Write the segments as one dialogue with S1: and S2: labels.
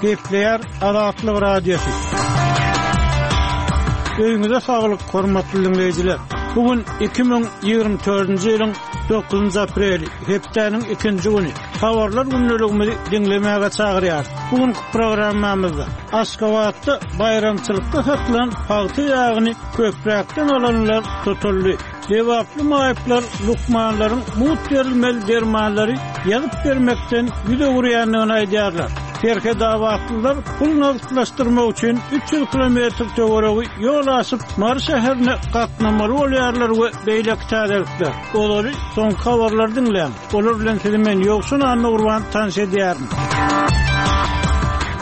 S1: Gepleýär Azatlyk Radiosy. Öýüňize saglyk, hormatly diňleýjiler! Bu gün 2024-nji ýylyň 9 apreli, hepdäniň ikinji güni. Habarlar gündeligimizi diňlemäge çagyrýarys. Bu günki programmamyzda Aşgabatda baýramçylykda satylan pagta ýagyny köpräkden alanlar tutuldy. Lebaply maýyplar lukmanlaryň mugt berilmeli dermanlary ýazyp bermekden ýüz öwürýändigini aýdýarlar. Serhetabatlylar pul nagtlaşdyrmak üçin 300 kilometr töweregi ýol aşyp, Mary şäherine gatnamaly bolýarlar we beýleki täzelikler. Olary soňky habarlary diňläň. Olar bilen sizi men Ýowşan Annagurban tanyş edýärin.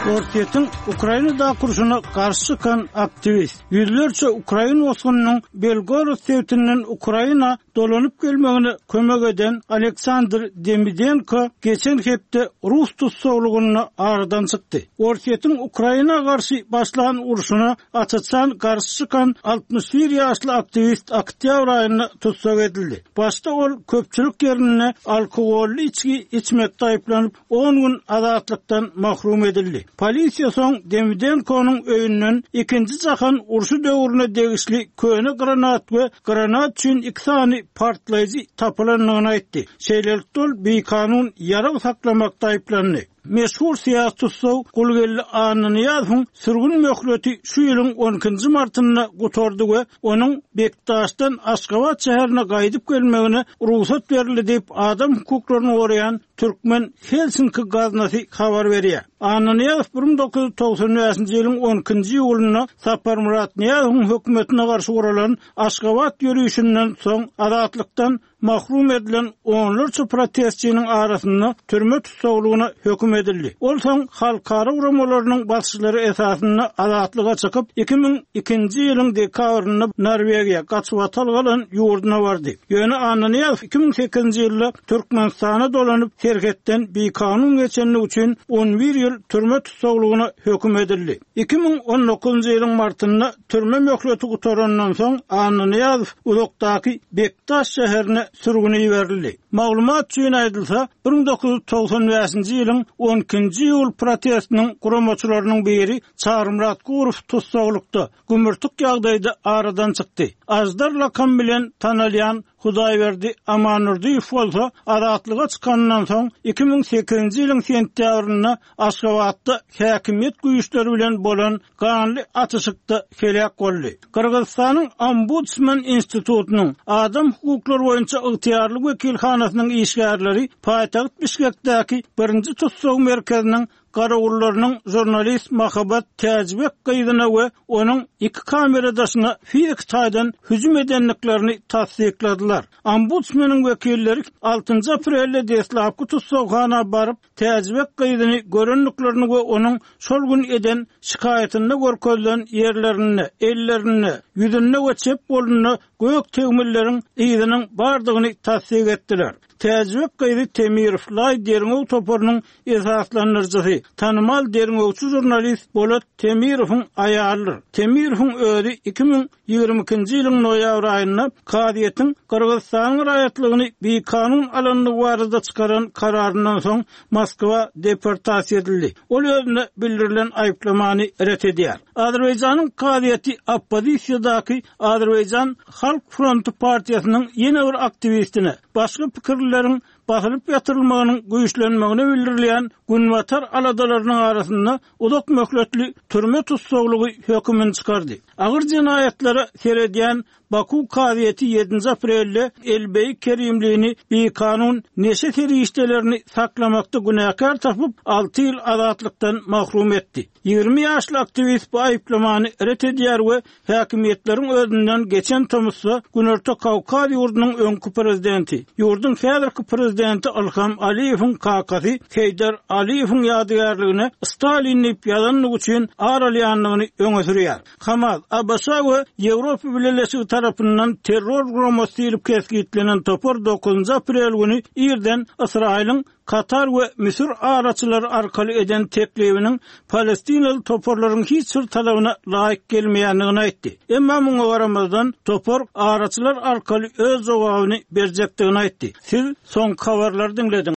S1: Orsýetiň Ukrainadaky urşuna garşy çykan aktiwist. Ýüzlerçe ukrain bosgunynyň Belgorod sebitinden Ukraina dolanyp gelmegine kömek eden Aleksandr Demidenko geçen hepde rus tussaglygynda aradan çykdy. Orsýetiň Ukraina garşy başlan urşuna aç-açan garşy çykan 61 ýaşly aktiwist oktýabr aýynda tussag edildi. Başda ol köpçülik ýerinde alkogolly içgi içmekde aýyplanyp, on gün azatlykdan mahrum edildi. Polisiýa soň Demidenkonyň öýünden Ikinji jahan urşy döwrüne degişli köne granat we granat üçin iki sany partlaýjy tapylandygyny aýtdy. Şeýlelikde ol bikanun ýarag saklamakda aýyplandy. Meşhur syýasy tussag Gulgeldi Annanyýazowyň sürgün möhleti şu ýylyň on ikinji martynda gutardy we onuň Bekdaşdan Aşgabat şäherine gaýdyp gelmegine rugsat berildi diýip, adam hukuklaryny goraýan Türkmen Helsinki gaznasy habar berýär. Annanyýazow 1995-nji ýylyň on ikinji iýulynda Saparmyrat Nyýazowyň hökümetine garşy guralan Aşgabat ýörişinden soň azatlykdan mahrum edilen onlarça protestçiniň arasynda türme tussaglygyna höküm edildi. Ol soň halkara guramalarynyň basyşlary esasynda azatlyga çykyp, 2002-nji ýylyň dekabrynda Norwegiýa, gaçybatalga alan ýurduna bardy. Ýöne Annanyýazow 2008-nji ýylda Türkmenistana dolanyp, serhetden bikanun geçenligi üçin on bir ýyl türme tussaglygyna höküm edildi. 2019-njy ýylyň martynda türme möhleti gutarandan soň Annanyýazow uzakdaky Bekdaş şäherine sürgüne iberildi. Maglumat üçin aýdylsa, 1995-nji ýylyň on ikinji iýul protestiniň guramaçylarynyň biri Çarymyrat Gurow tussaglykda, gümürtik ýagdaýda aradan çykdy. Aždar lakamy bilen tanalýan Hudaýberdi Amandurdyýew bolsa azatlyga çykanyndan soň 2008-nji ýylyň sentýabrynda Aşgabatda häkimiýet güýçleri bilen bolan ganly atyşykda heläk boldy. Gyrgyzystanyň Ombudsman institutynyň adam hukuklary boýunça ygtyýarly wekilhanasynyň işgärleri paýtagt Bişkekdäki birinji tussag merkeziniň garawullarynyň žurnalist Mahabat Täjibek gyzyna we onuň iki kameradaşyna fiziki taýdan hüjüm edendiklerini tassykladylar. Ombudsmeniň wekilleri altynjy aprelde deslapky tussaghana baryp, Täjibek gyzyny görendiklerini we onuň şol gün eden şikaýatynda görkezilen ýerlerinde, ellerinde, ýüzünde we çep golunda gök tegmilleriň yzynyň bardygyny tassyk etdiler. Täjibek gyzy Temirow Laý derňew toparynyň esaslandyryjysy, tanymal derňewçi žurnalist Bolat Temirowyň aýalydyr. Temirowyň özi 2022-nji ýylyň noýabr aýynda kazyýetiň Gyrgyzystanyň raýatlygyny bikanun alandygy barada çykaran kararyndan soň Moskwa deportasiýa edildi. Ol özüne bildirilen aýyplamany ret edýär. Azerbaýjanyň kazyýeti oppozisiýadaky Azerbaýjan Halk fronty partiýasynyň ýene bir aktiwistine, başga pikirlileriň basylyp ýatyrylmagynyň güýçlenmegine bildirilýän Günbatar aladalarynyň arasynda uzak möhletli türme tussaglygy hökümini çykardy. Agyr jenaýatlara seredýän Baku kazyýeti ýedinji aprelde Elbeý Kerimlini bikanun neşe serişdelerini saklamakda günäkär tapyp, alty ýyl azatlykdan mahrum etdi. 20 ýaşly aktiwist bu aýyplamany ret edýär we häkimiýetleriň özünden geçen tomusda Günorta Kawkaz ýurdunyň öňki prezidenti, ýurduň häzirki prezidenti Ilham Aliýewiň kakasy Heýdar Aliýewiň ýadygärligine Stalin diýip ýazandygy üçin ar alýandygyny öňe sürýär. Hamas, ABŞ we Ýewropa Bileleşigi tarapyndan terror guramasy diýlip kesgitlenen topar dokuzynjy aprel güni irden Ysraýylyň Katar we Müsür araçylary arkaly eden teklibiniň palestinaly toparlaryň hiç bir talabyna laýyk gelmeýändigini aýtdy. Emma muňa garamazdan, topar araçylar arkaly öz jogabyny berjekdigini aýtdy. Siz soňky habarlary diňlediňiz.